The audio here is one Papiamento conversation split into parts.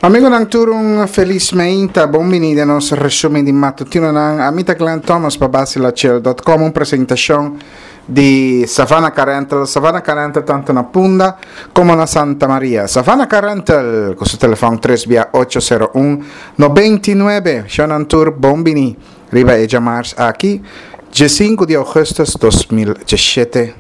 Amigonan tur un felis meinta, bon bini den nos resumen di matutinonan. Ami ta Glenn Thomas pa Basilachel.com, un presentacion di Savannah Car Rental. Savannah Car Rental tanto na Punda como na Santa Maria. Savannah Car Rental cu su telefon 3 bia 801 99. Shonan tur bon bini riba e djamars aki, 15 di augustus 2017.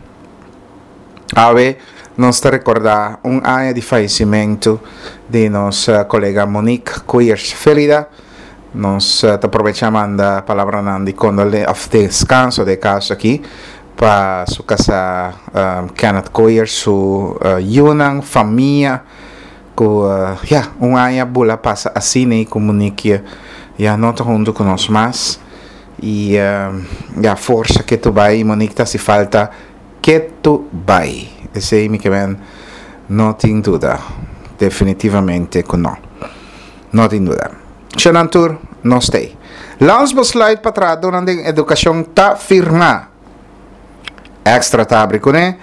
Awe nos ta rekordá un aña di fayesimentu di nos kolega Monique Koeyers Felida. Nos ta probechá manda palabranan di kondole òf deskanso den e kaso aki pa su kasá Kenneth Koeyers, su yunan, famia ku ya un aña bula pasa asina i ku Monique ya no ta huntu ku nos mas i ya forsa ke tu bai Monique ta hasi falta Ketu bai. Esei mi ke men no tin duda. Definitivamente ku no. No tin duda. Shonan tur, nos t'ei. Landsbesluit pa trahadónan den edukashon ta firmá. Extra ta habri kuné.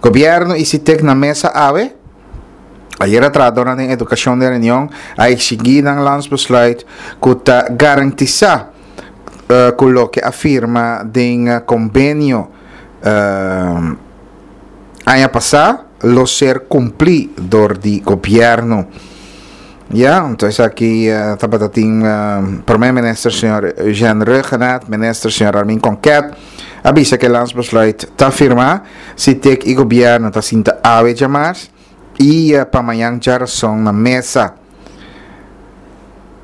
Gobièrnu i Sitek na mesa awe. Ayera trahadónan den edukashon den reunion a eksigí nan landsbesluit ku ta garantisá ku loke a firma den kombenio aña pasá lo ser kumplí dor di gobièrnu. Ya, anto esaki tabata tin Prome Minister señor Eugène Rhuggenaath, Minister señor Armin Konket a bisa ku e landsbesluit ta firmá, Sitek i gobièrnu ta sinta awe djamars i pa mañan djarason na mesa.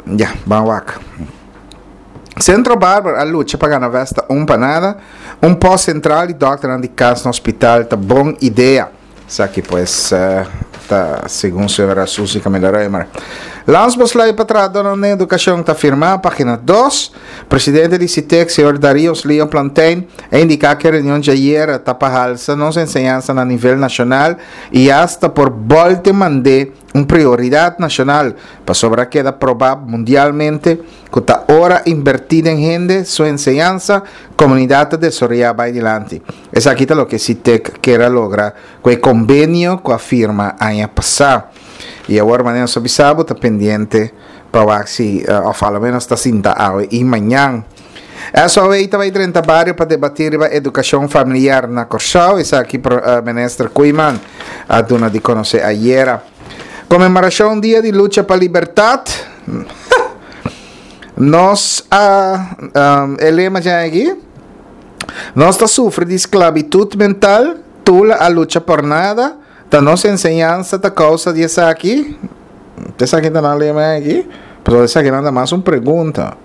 Ya, ban wak. Centro Barber a lucha pa gana Vesta un pa nada. Un post central di dokternan di kas na hospital ta bon idea. Esaki pues ta segun señora Suzy Camila Römer. Landsbesluit pa trahadornan den edukashon ta firmá, pagina dos. Presidente di Sitek, señor Darius Leon Plantijn, a indiká ku e reunion djayer ta pa halsa nos enseñansa na nivel nashonal i asta por bòlte mand'é un prioridat nashonal, pasobra a keda probá mundialmente ku ta ora inbertí den hende su enseñansa, komunidat ta desaroyá bai dilanti. Esaki ta loke Sitek kier a logra ku e kombenio ku a firma aña pasá. I awor manera nos a bisa bo ta pendiente pa wak si òf alomenos ta sinta awe i mañan. SOA ta bai drenta bario pa debatí riba edukashon familiar na Kòrsou, esaki Minister Koeiman a duna di konosé ayera. Konmemorashon Dia di Lucha pa Libertat. Nos a e lema djan aki, Nos ta sufri di sklabitut mental, Tula a lucha por nada, Ta nos enseñansa ta kousa di esaki? Esaki ta nan lema aki? Pasobra esakinan ta mas un pregunta.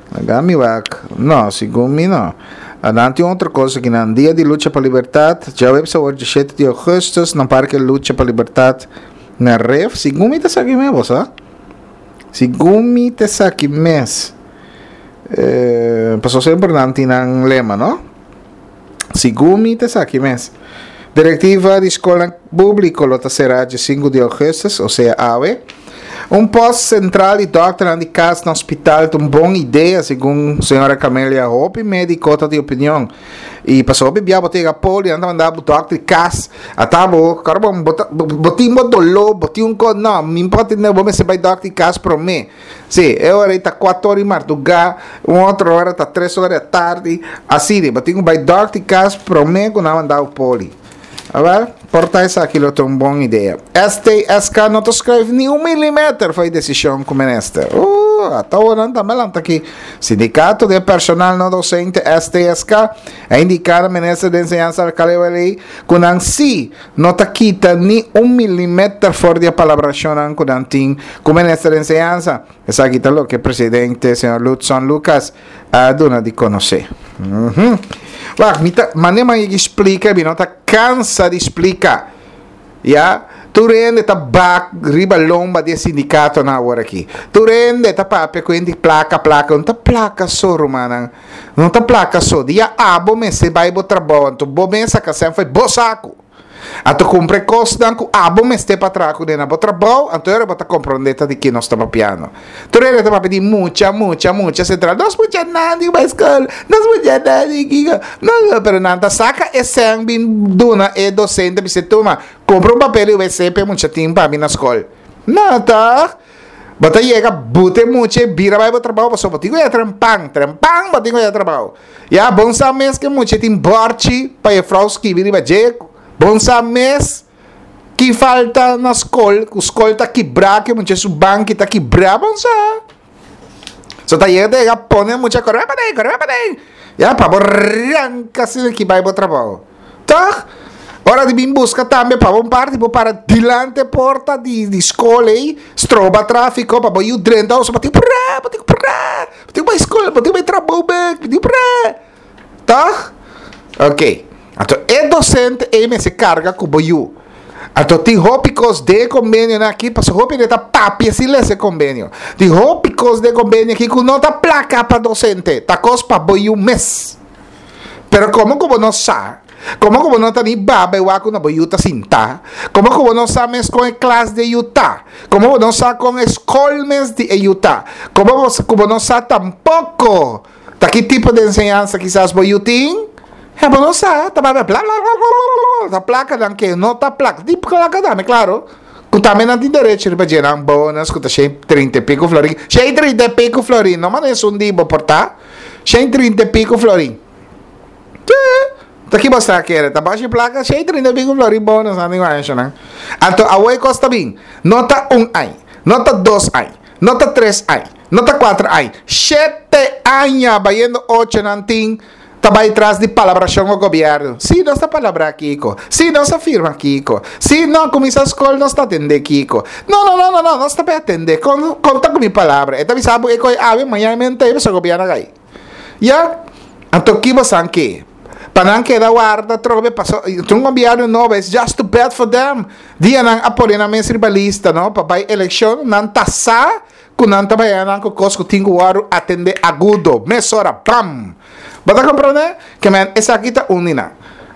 Laga mi wak. No, segun mi no. Nan tin otro kos aki nan. Dia di Lucha pa Libertat, djaweps awor djashete di ougùstùs na Parke Lucha pa Libertat na Ref. Segun mi ta esaki mes bo sa. Segun mi ta esaki mes. Pasobra semper nan tin nan lema, no? Segun mi ta esaki mes. Direktiva di skolnan públiko lo ta será dje sinku di ougùstùs, osea awe. Un pòst sentral di dòkternan di kas na hospital ta un bon idea, segun señora Camelia. Hopi médiko ta di opinion. I pasobra hopi bia bo ta yega poli, nan ta manda bo dòkter di kas. Ata bo, kòrda bo, bo ta, bo tin bo doló, bo tin un kos, no, mi no por atendé bo, bo mester bai dòkter di kas promé. Sí, e ora ei ta kuater ora di mardugá, un otro ora ta tres ora di atardi, asina. Bo tin ku bai dòkter di kas promé ku nan manda bo poli. Awèl, por ta esaki lo ta un bon idea. STSK no ta skruif ni un milimeter for e desishon ku minister. Uh, ata awor nan tambe lanta aki. Sindikato di e personal no dosente STSK a indiká na minister di enseñansa Alcalá Wallé ku nan sí no ta kita ni un milimeter for di e palabrashonnan ku nan tin ku Minister di Enseñansa. Esaki ta loke presidente señor Ludson Lucas a duna di konosé. Wak, mi ta mane man yegi splika, mi no ta kansa di splika. Ya, tur hende ta bak riba lomba di e sindikatonan awor aki. Tur hende ta papia ku hende plaka, plaka. No ta plaka so, rumannan. No ta plaka so. Dia abo mester bai bo trabou, anto bo mes saka sèn fo'i bo saku. Anto kumpra e kosnan ku abo mester pa traha kuné na bo trabou, anto e ora bo ta komprondé ta di ki nos ta papiando. Tur hende ta papia di mucha, mucha, mucha sentral. Nos mucha nan di bai skol, nos mucha nan di kiko, nos, pero nan ta saka e sèn bin duna e dosente bisa tuma, kumpra un papel di wc pa e mucha tin pa mi na skol. No, tòg? Bo ta yega buta e mucha e bira bai bo trabou pasobra bo tin ku ya trempan, trempan bo tin ku ya trabou. Ya bon sa mes ku e mucha tin bòrchi pa e frou skibi riba dje, bon sa mes ki falta na skol, ku skol ta kibrá, ku e mucha su banki ta kibrá, bon sa. So ta yega ta yega pone e mucha kore paden, kore paden, ya pa bo ranka asina ki bai bo trabou. Toch? Ora di bin buska tambe pa bo parti bo para dilante porta di di skol ei, stroba trafiko pa bo yu drenta oso bo tin purá, bo tin purá, bo tin bai skol, bo tin bai trabou bek, bo tin purá. Toch? Ok. Anto e docente ei mester karga ku bo yu. Anto tin hopi kos den e kombenionan aki, pasobra hopi hende ta papia sin lesa e kombenio. Tin hopi kos den e kombenio aki ku no ta plaka pa docente, ta kos pa bo yu mes. Pero komo ku bo no sa, komo ku bo no ta ni baba e wak ku na bo yu ta sintá, komo ku bo no sa mes kon e klas di e yu ta, komo bo no sa kon e skol mes di e yu ta, komo bo ku bo no sa tampoko ta ki tipo di enseñansa kisas bo yu tin, ya bo no sa, ta baba bla bla bla bla bla, ta plakanan ke no ta plaka, tin plaka tambe klaro, ku tambe nan tin derecho riba dje nan bonus ku ta shen trinta i piko florin, shen trinta i piko florin no manera esun di bo por ta. 130 y pico florin. Ta ki bo sa kere? Ta bashi placa 130 y pico florin bonus nan tin aña nan. Anto awo e cos ta bin. No ta un aña, no ta dos aña, no ta tres aña, no ta cuatro aña. Shete aña bayendo ocho nan tin ta bay tras di palabracion cu gobierno. Si nos ta palabra kico, si nos a firma kico, si no cuminsa scol nos ta atende kico. No, no, no, no, no, nos ta bay atende. Con, conta cu mi palabra. E ta bisa bo e coy awe, mañana mi entey, pasobra gobierno a cay. Ya? Anto ki bo san ke? Pa nan keda warda trobe, paso, tin un gobierno nobo, it's just too bad for them. Dia nan a pone nan mes riba lista, no, pa bay eleccion, nan ta sa cu nan ta bay nan cu cos cu tin cu wordo atende agudo, mesora, bam! Bo ta comprende? Ke men esaki ta un di nan.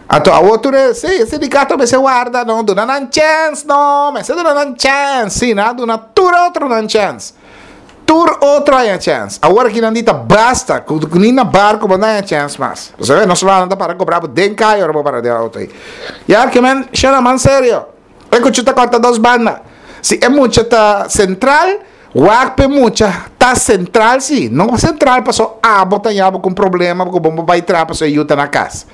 Anto awor tur e, sí, e sindicato mester warda, no, duna nan chens, no, mester duna nan chens, sí, nan a duna tur otro nan chens. Tur otro haña chens. Awor aki nan di ta basta, ku ni na barco bo no haña chens mas. Pasobra nos lanan ta para cobra bo den caya ora bo para den auto ei. Ya, ke men, shona man serio. E kuchu ta kòrta dos banda. Si e mucha ta sentral, wak p'e mucha ta sentral si. No sentral paso abo ta yaba ku un problema ku bo bai traha paso e yu ta na kas.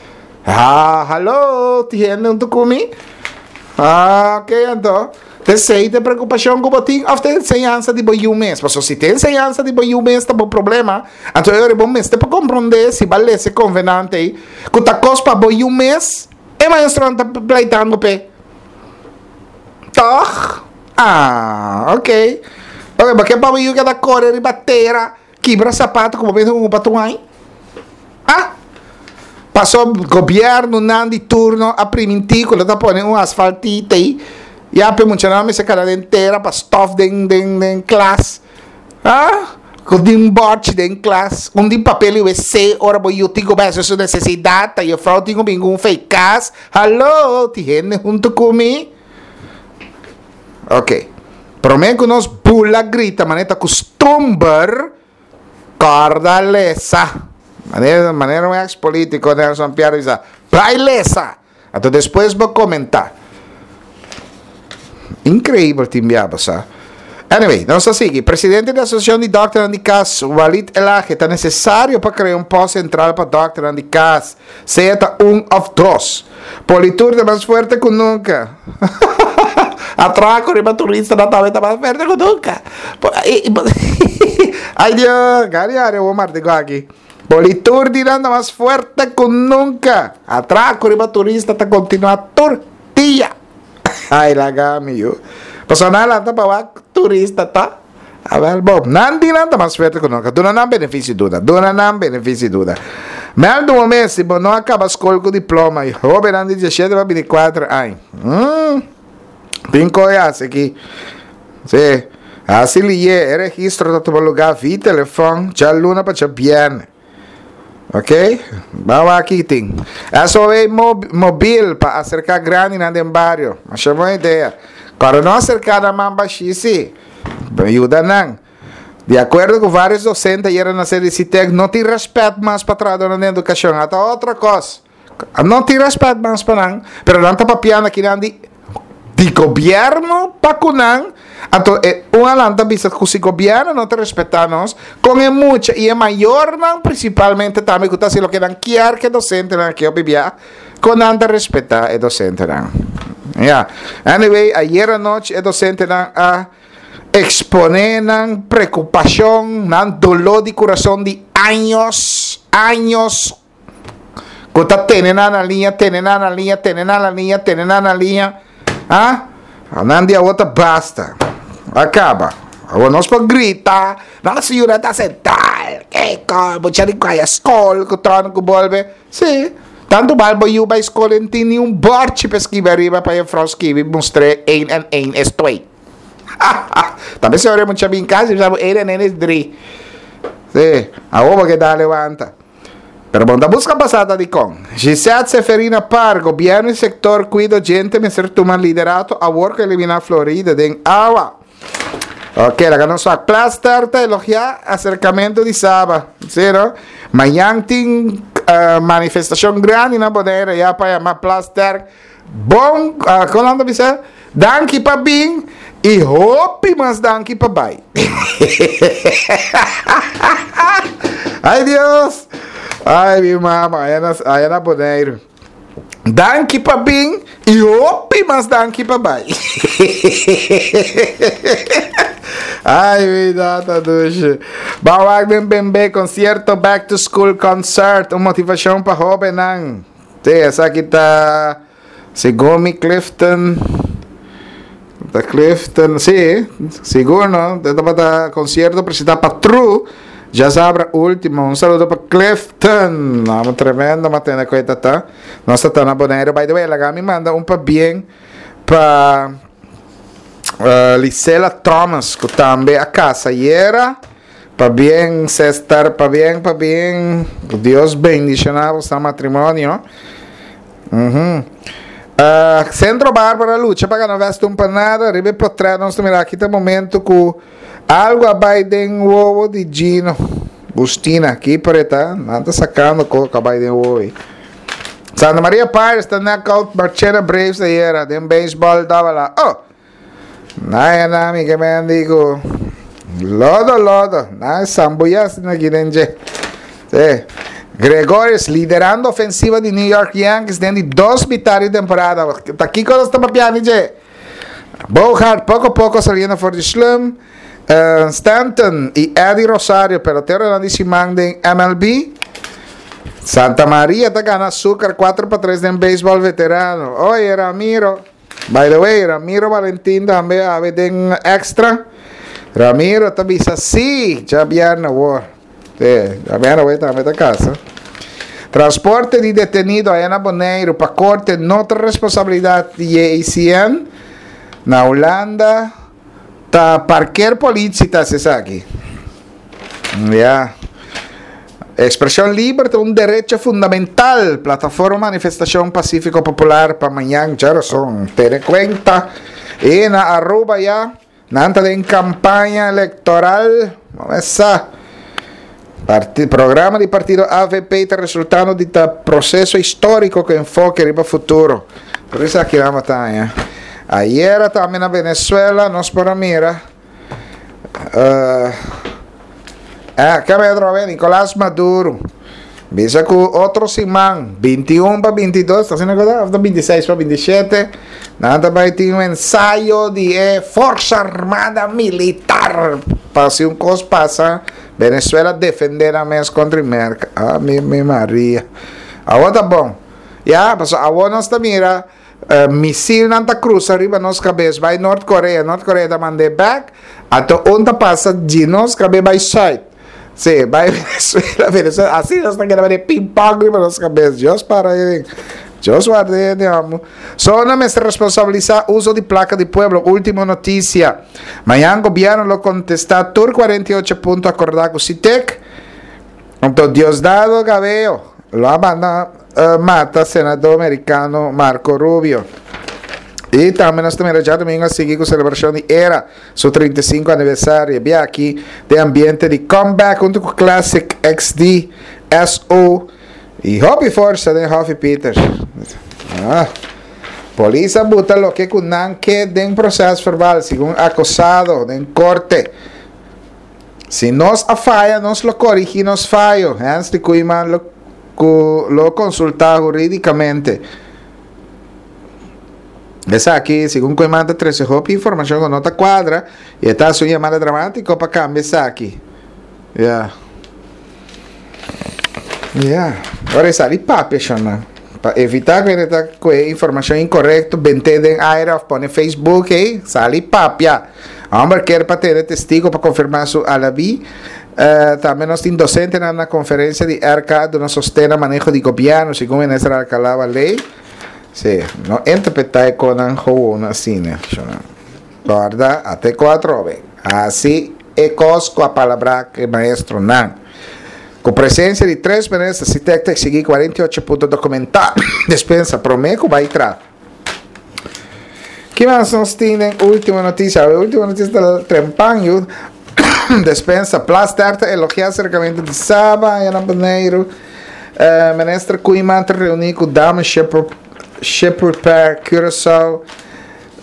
Ha, hallo, tin hende huntu ku mi? Ah, oké anto. T'esei ta e preokupashon ku bo tin òf ta e enseñansa di bo yu mes? Paso si ta e enseñansa di bo yu mes ta bo problema, anto e ora bo mester por komprondé si bo a lesa e konvenante ei ku ta kos pa bo yu mes. E maestronan ta pleitando p'e. Tòg? Ah, ok. Ok, bo ke pa bo yu keda kore riba tera, kibra sapato ku bo mester hunga pa tur aña? Ah! Paso gobièrnunan di turno a primintí ku lo ta pone un asfaltita ei, ya p'e muchanan mester kada den tera pa stòf den den den klas. Ah, ku tin bòrchi den klas, un tin papel i wc ora bo yu tin ku bai hasi su nesesidat, ta jufrou tin ku bin ku un fei kas. Hallo, tin hende huntu ku mi? Ok, promé ku nos bula grita manera ta kustumber, kòrda lesa. Manera manera un eks polítiko Nelson Pierre bisa, bai lesa! Anto despues bo comenta. Increibel tin bia bo sa. Anyway, nos ta sigui. Presidente di Asociacion di Dokternan di Cas, Walid Elhage, ta necesario pa crea un post central pa dokternan di cas, sea ta un of dos. Politur ta mas fuerte cu nunca. Atraco riba turistanan tambe ta mas fuerte cu nunca. Ay Dios, gari ari awor martico aki. Politur di nan ta mas fuerte ku nunka. Atrako riba turista ta kontinuá tur dia. Ai laga mi yu. Pasobra nan a lanta pa wak turista ta. Awel bo, nan di nan ta mas fuerte ku nunka. Duna nan benefisio duda. Duna nan benefisio duda. Mèldu un mes si bo no a kaba skol ku diploma i hóbennan di diesshete pa bintikuater aña. Tin koe hasi aki. Sí. Hasi lié, e registro ta tuma lugá via telefòn djaluna pa djabièrnè. Ok? Ban wak aki tin. SOA mobil pa aserká grandinan den bario. Masha bon idea. Kòrda no aserká nan man bashí sí. Yuda nan. Di akuerdo ku vários dosente ayera na sede di SITEK no tin rèspèt mas pa trahadónan den edukashon. Ata otro kos. No tin rèspèt mas pa nan, pero nan ta papiando akinan di. Di gobièrnu pa ku nan, anto e un a lanta bisa ku si gobièrnu no ta respetá nos, kon e mucha i e mayornan prinsipalmente tambe ku ta hasi loke nan kier ku e dosentenan aki hopi bia, kon nan ta respetá e dosentenan. Ya. Anyway, ayer anochi e dosentenan a eksponé nan preokupashon, nan doló di kurason di años, años. Ku ta tene nan na liña, tene nan na liña, tene nan na liña, tene nan na liña. Ah? Nan di awor ta basta. A kaba. Awor nos por grita, nos yura ta sentral, kiko, mucha di kaya skol, ku torna ku bolbe. Si, tantu bal bo yu bai skol en tin ni un bòrchi pa skibi ariba pa juffrouw skibi mustr'é één en één es twee. Ta mester ora e mucha bin kas i bisa bo één en één es drie. Si, awor bo ke dale wanta. Pero bo no ta buska pasada dikon. Gisette Seferina Par, Gobièrnu i sektor kuido djente mester tuma liderato awor ku eliminá Florida den awa. Ok, laga nos wak. Plaster ta elogiá aserkamentu di Saba. Sí, no? Mañan tin manifestashon grandi na Bonaire ya pa yama Plasterk. Bon, kon nan ta bisa? Danki pa bin i hopi mas danki pa bai. Ai Dios! Ai mi mama, aya na, aya na Boneiru. Danki pa bin i hopi mas danki pa bai. Ai mi tata dushi. Ban wak den Bembe concierto Back to School Concert, un motivashon pa hobennan. Te, esaki ta segun mi Clifton, ta Clifton, sí, sigur no, te tabata concierto presentá pa True, djasabra último. Un saludo pa Clifton, amo tremendo ma tene cuenta ta. Nos ta ta na Bonaire, by the way, laga mi manda un pabien pa uh, Lisela Thomas, ku tambe a casa ayera. Pabien Cestar, pabien, pabien. Dios bendiciona boso matrimonio. Uhum. Uh, Centro Bárbara lucha pa gana Western pa nada. Riba e portret nos ta mira aki ta momento ku algo a bai den wowo di Gino. Gustina, keeper e ta. Nan ta sacando ko ka bai den wowo ei. Santa Maria Pirates ta knockout Marchena Braves ayera den baseball tabala. Oh! Naya na mi ke men di ku lodo lodo. Na sambuya asina aki den dje. Sí. Gregorius liderando ofensiva di New York Yankees den di dos mitad di temporada. Ta kiko nos ta papiando dje? Bogaert poko poko saliendo for di slum. Uh, Stanton y Eddie Rosario, peloteronan di siman den MLB. Santa Maria ta gana Azúcar 4-3 den béisbòl veterano. Oye, Ramiro. By the way, Ramiro Valentin tambe awe den extra. Ramiro ta bisa sí, djabièrnè awor. Sí, djabièrnè awor e tambe ta kasa. Transporte di detenido aya na Boneiru pa korte no ta responsabilidat di JICN. Na Hulanda ta parkeer politie ta hasi esaki. Ya. Expresion liber ta un derecho fundamental. Plataforma Manifestacion Pacifico Popular pa mañan djarason. Tene cuenta. Y na Aruba ya, nan ta den campaña electoral. Mesa. Parti, programa di partido AVP ta resultando di ta proceso historico cu enfoke riba futuro. Por esaki nan bataya. Ayera tambe na Venezuela nos por a mira. Uh, eh, ke Pedro ve Nicolás Maduro. Bisa ku otro siman, 21 pa 22, ta asina cosa? Of 26 pa 27, nan ta bai tin un ensayo di e Forza Armada Militar. Pa si un kos pasa, Venezuela defende nan mes kontra Merka. Ah, mi, mi Maria. Awor ta bon. Ya, paso awor nos ta mira Misilnan ta cruza riba nos cabes bay Noord Korea, Noord Korea ta mand'é bek, anto un ta pasa di nos cabe bay Zuid, si, bay Venezuela, Venezuela, asi nos ta keda bay ping pong riba nos cabes, Dios para ahí, Dios warda hende amo. Zona mester responsabilisa uso di placa di pueblo, ultimo noticia, mañan gobierno lo contesta tur 48 punto acorda cu Citec, anto Diosdado Cabello lo a manda mata senador merikano Marco Rubio. I tambe nos ta mira djadumingu a sigui ku selebrashon di era su 35 aniversario. Bia aki den ambiente di comeback huntu ku Classic XD, SO i hopi forsa den Hofi Peters. Ah. Polis a buta loke ku nan ke den prosèsverbal, segun akusado den korte. Si nos a faya, nos lo korigí nos fayo, Hensley Koeiman lo ku lo konsultá hurídikamente. Esaki, segun Koeiman ta trese hopi informashon ku no ta kuadra i e ta hasi un yamada dramátiko pa kambia esaki. Ya. Ya. Ora e sali papia shonnan. Pa evitá ku e ta ku e informashon inkorekto bent'é den aire òf pone Facebook ei, sali papia. Hòmber kier pa tene testigo pa konfirmá su alabí. Tambe nos tin dosentenan na konferensia di RK duna sosten na maneho di gobièrnu, segun Minister Alcalá Wallé. Sí, no interpretá e konan gewoon asina, shonnan. Kòrda, ate ku atrobe. Hasi e kos ku a palabrá ku e maestronan. Ku presensia di tres minister, Sitek ta eksigí 48 punto dokumentá despensa promé ku bai tra. Ki mas nos tin den último notisia? E último notisia ta trempan yu. Despensa Plasterk ta elogiá aserkamentu di Saba aya na Boneiru. Minister Koeiman ta reuní ku Dame Ship Repair Curaçao.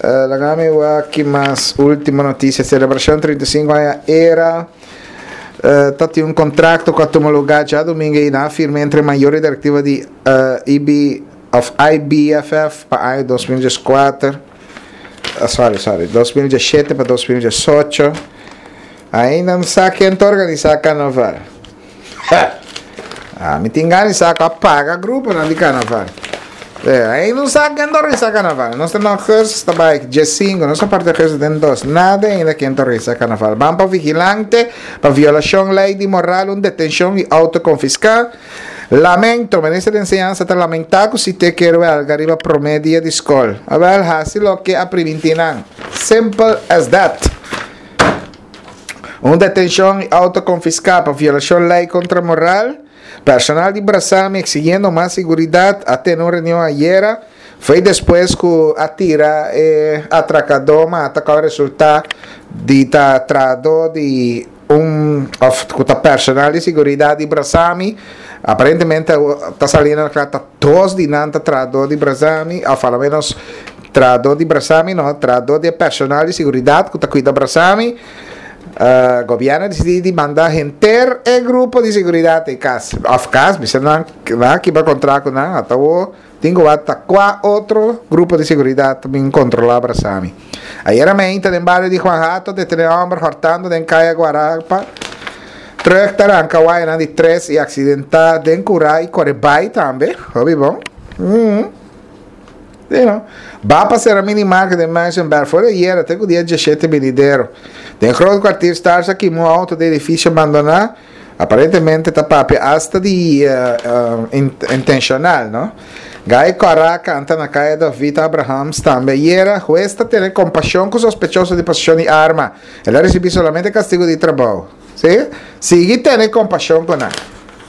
Laga mi wak ki mas último notisia. Selebrashon 35 aña era. Ta tin un kontrakto ku a tuma lugá djadumingu ei nan a firma entre mayor i direktiva di IB òf IBFF pa aña 2014. Sorry, sorry, 2017 pa 2018. Ainda no sa ken ta organisá karnaval. Ami tin gana di sa ku a paga gruponan di karnaval. Ei no sa ken ta organisa karnaval. Nos ta na augustus ta bai diesinku, nos a parti augustus den dos. Nada ainda ken ta organisa karnaval. Ban pa vigilante pa violashon lei di moral, un detenshon i outo konfiská. Lamento, Minister di Enseñansa ta lamentá ku si te kier wèlga riba promé dia di skol. Awèl, hasi loke a primintí nan. Simple as that. Un detenshon i outo konfiská pa violashon lei kontra moral. Personal di Brasami eksigiendo mas siguridat a tene un reunion ayera. Foi despues ku a tira e atrakadó mata ku a resultá di ta trahadó di un òf ku ta personal di siguridat di Brasami. Aparentemente ta saliendo na kla ta dos di nan ta trahadó di Brasami òf alomenos Trahadó di Brasami no, trahadó di e personal di seguridat ku ta kuida Brasami. Gobièrnu a disidí di manda henter e grupo di seguridat ei kas òf kas, bisa nan nan a kibra kontrakt ku nan, ata awor tin ku wak ta kua otro grupo di seguridat ta bin kontrolá Brasami. Ayera meinta den bario di Juan Hato detené hòmber hòrtando den kaya Guarapa. Trùk ta ranka wayanan di tres i aksidentá den kurá i kore bai tambe. Hopi bon. Sí, no? Ba pa sera minimarket den Muizenberg for di ayera te ku dia diashete binidero. Den Groot Kwartier Stars a kima un outo den edifisio bandoná. Aparentemente ta papia asta di intenshonal, no? Gai Kòrá kanta na Kaya David Abrahams tambe ayera. Hues ta tene kompashon ku sospechoso di poseshon di arma. El a risibí solamente kastigu di trabou. Sí? Sigui tene kompashon ku nan.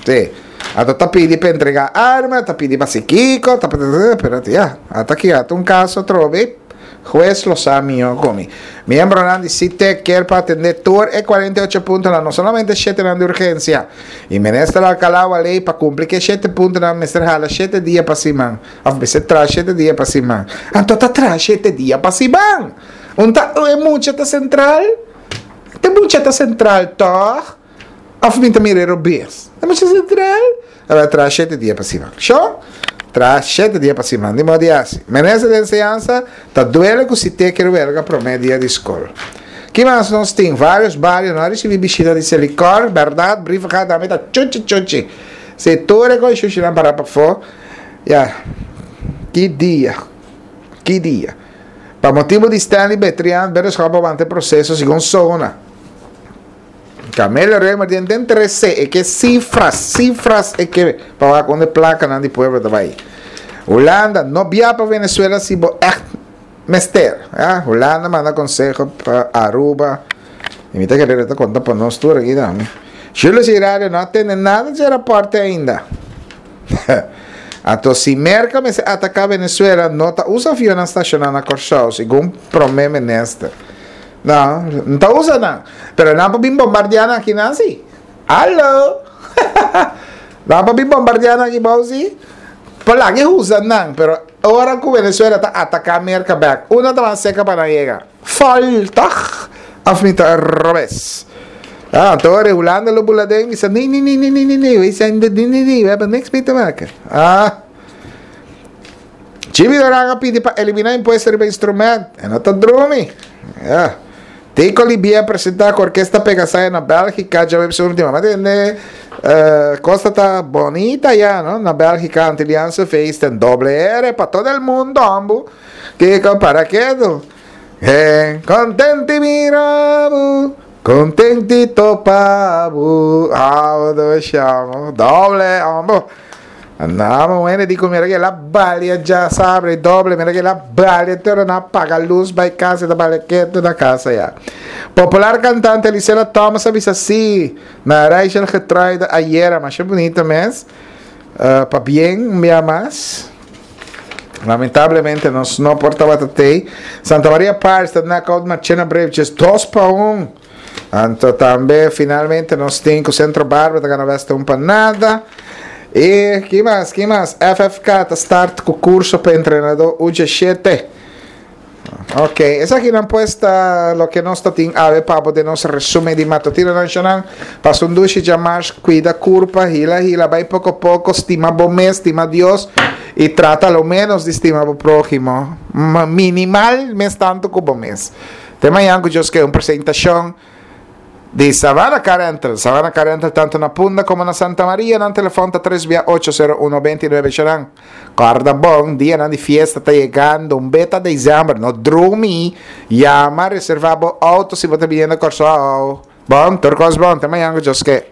Sí. Ata ta pidi pa entrega arma, ta pidi pa si kiko, ta pidi, pero ya, ata ki ata un caso atrobe, huez lo sa miho cu mi. Miembronan di CITEC kier pa atende tur e 48 puntonan, no solamente shetenan di urgencia. Y Minister Alcalá Wallé pa cumpli cu e shete puntonan mester hala shete dia pa siman, of mester traha shete dia pa siman. Anto ta traha shete dia pa siman! Un ta e mucha ta central? E mucha ta central toch? Of mi ta mira e robes? E mucha sentral. A bai traha shete dia pa siman. Sho? Traha shete dia pa siman. Di modo di hasi. Minister di Enseñansa ta duele ku si te kier welga prome dia di skol. Ki mas nos tin? Varios bario no a risibi bishita di Selikor. Bèrdat, Brievengat tambe ta chuchi chuchi. Si tur e kos shushinan para pafó. Ya. Ki dia. Ki dia. Pa motibu di Stanley Betrian, Bereshop a wanta e proseso segun Sona. Camelia Römer den den trece e ke cifras, cifras e ke pa wak unda e placanan di pueblo ta bay. Hulanda, no bia pa Venezuela si bo echt mester. Ja, Hulanda manda conseho pa Aruba. Y mi ta kere ta conta pa nos tur aki tambe. Julius Hirario no a tende nada dje raporte ainda. Anto si Merca mester ataca Venezuela no ta usa avionnan staciona na Corsou, segun Prome Minister. No, no ta usa nan. Pero nan por bin bombardea nan aki nan si. Hallo! Nan por bin bombardea nan aki bou si. Por laga e usa nan, pero. Ora ku Venezuela ta ataká Merka bèk, unda ta mas serka pa nan yega? Fòl, tòg? Òf mi ta robes? Ah, anto ora e Hulanda lo bula den bisa, Nee, nee, nee, nee, nee, nee, nee, wij zijn de, nee, nee, nee, we hebben niks mee te maken. Ah. Jimmy Duran a pidi pa eliminá impuesto riba instrument. E no ta drumi. Ja. Tico Libia a presentá ku Orkesta Pegasaya na Bélgika djaweps último. Ma tende eh, kosta ta bonita ya, no? Na Bélgika, Antilliaanse feesten, doble R pa todo el mundo, ambu. Tico, para kedo. Eh, kontenti mirabu, kontenti topabu. Ah, do shamo, doble, ambu. Andaba un hende di ku mira ke el a balia djasabra i doble, mira ke el a balia te ora nan a paga lus bai kas e ta balia ketu na kasa ya. Popular kantante Elisela Thomas a bisa si na Rachel Getruida ayera, masha bunita mes, pabien un bia mas. Lamentablemente nos no por tabata tei. Santa Maria Pirates ta knockout Marchena Braves 2-1. Anto tambe finalmente nos tin ku Centro Barber ta gana West un pa nada. I ki mas, ki mas? FFK ta start ku kurso pa entrenadó U17. Ok, esakinan pues ta loke nos ta tin awe pa bo den nos resumen di Matutino Nacional. Pasa un dushi djamars, kuida kurpa, hila hila, bai poko poko, stima bo mes, stima Dios i trata lo menos di stima bo próhimo. Minimal mes tantu ku bo mes. Te mañan ku Dios ke un presentashon di Savannah Car Rental. Savannah Car Rental tanto na Punda komo na Santa Maria. Nan telefòn ta tres bia ocho sero uno benti nuebe shanan. Kòrda bon, dianan di fiesta ta yegando, un beta desèmber. No drumi, yama reservá bo outo si bo ta biniendo Kòrsou. Bon, tur kos bon. Te mañan ku Dios ke.